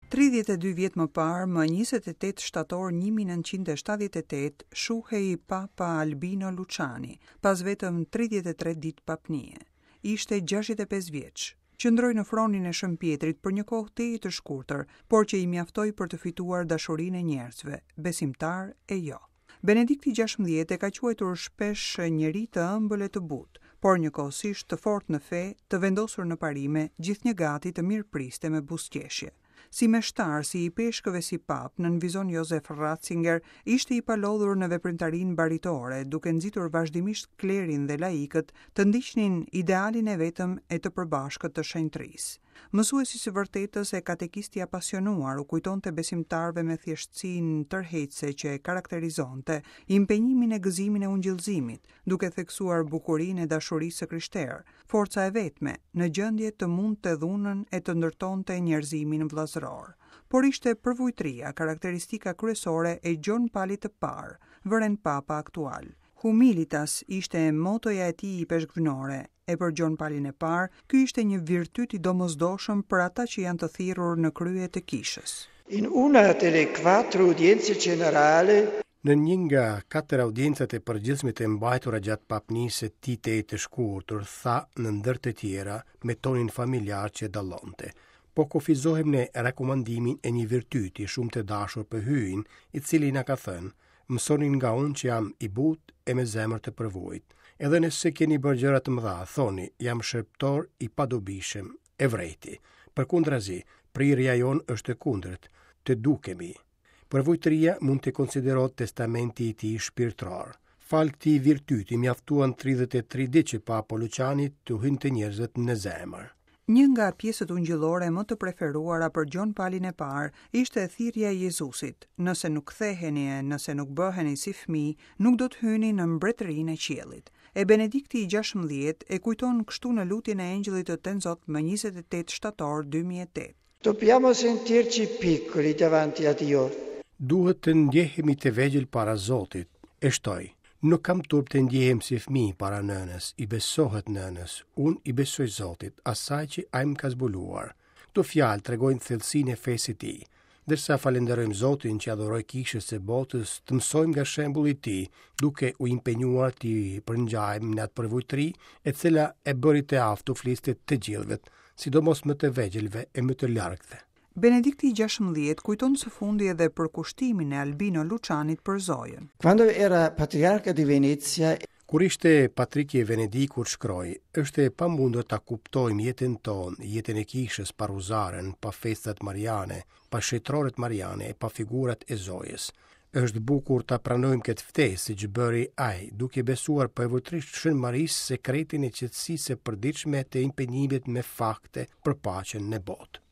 32 vjet më parë, më 28 shtator 1978, shuhej Papa Albino Luciani, pas vetëm 33 ditë papnie. Ishte 65 vjeç. Qëndroi në fronin e Shën Pjetrit për një kohë tejet të shkurtër, por që i mjaftoi për të fituar dashurinë e njerëzve, besimtarë e jo. Benedikti 16 e ka quajtur shpesh njeri të ëmbël e të butë, por njëkohësisht të fortë në fe, të vendosur në parime, gjithnjë gati të mirëpriste me buzëqeshje. Si meshtar, si ipeshkëv e si papë, nënvizon Josef Ratzinger, ishte i palodhur në veprimtarinë baritore, duke nxitur vazhdimisht klerin dhe laikët të ndiqnin idealin e vetëm e të përbashkët të shenjtërisë. Mësues i së vërtetës e katekist i apasionuar, u kujtonte besimtarëve me thjeshtësinë tërheqëse që e karakterizonte, impenjimin e gëzimin e ungjillëzimit, duke theksuar bukurinë e dashurisë së krishterë, forca e vetme, në gjendje të mundte dhunën e të ndërtonte njerëzimin vëllazëror. Por ishte përvujtëria karakteristika kryesore e Gjon Palit të Parë, vëren Papa aktual. Humilitas ishte motoja e tij ipeshkvnore, e për Gjon Palin e Parë, ky ishte një virtyt i domosdoshëm për ata që janë të thirrur në krye të kishës. In una delle quattro udienze generali Në një nga katër audiencat e përgjithshme të mbajtura gjatë papnisë së tij tejet të shkurtër, tha në ndër të tjera me tonin familjar që e dallonte. Po kufizohem në rekomandimin e një virtyti shumë të dashur për Hyjin, i cili na ka thënë, mësoni nga unë që jam i butë e me zemër të përvujtë. Edhe nëse keni bërë gjëra të mëdha, thoni, jam shërbëtor i padobishëm, e vrejti. Përkundrazi, prirja jonë është e kundërt, të dukemi. Përvujtëria mund të konsiderohet testamenti i tij shpirtëror. Falë këtij virtyti mjaftuan 33 ditë që Papa Luciani t'u hynte njerëzve në zemër. Një nga pjesët ungjillore më të preferuara për Gjon Palin e Parë ishte thirrja e Jezusit, nëse nuk ktheheni e nëse nuk bëheni si fëmijë, nuk do të hyni në mbretërinë e qiellit. E Benedikti i 16 e kujton kështu në lutjen e Engjëllit të Tenzot më 28 shtator 2008. Dobbiamo sentirci piccoli davanti a Dio. Duhet të ndjehemi të vegjël para Zotit. E shtoi, nuk kam turp të ndjehem si fëmijë para nënës, i besohet nënës, unë i besoj Zotit, asaj që ai më ka zbuluar. Këto fjalë tregojnë thellësinë e fesë së tij. Ndërsa falënderojmë Zotin që ia dhuroi kishës e botës, të mësojmë nga shembulli i tij, duke u impenjuar t'i përngjajmë në atë përvujtëri, e cila e bëri të aftë t'u fliste të gjithëve, sidomos më të vegjëlve e më të largëtve. Benedikti i 16 kujton së fundi edhe përkushtimin e Albino Lucianit për Zojën. Quando era patriarca di Venezia Kur ishte Patriki i Venedikut shkroi, është e pamundur ta kuptojmë jetën tonë, jetën e kishës pa ruzaren, pa festat mariane, pa shenjtoret mariane e pa figurat e Zojës. Është bukur ta pranojmë këtë ftesë, siç bëri ai, duke besuar përvujtërisht Shën Marisë sekretin e qetësisë së përditshme të impenjimit me fakte për paqen në botë.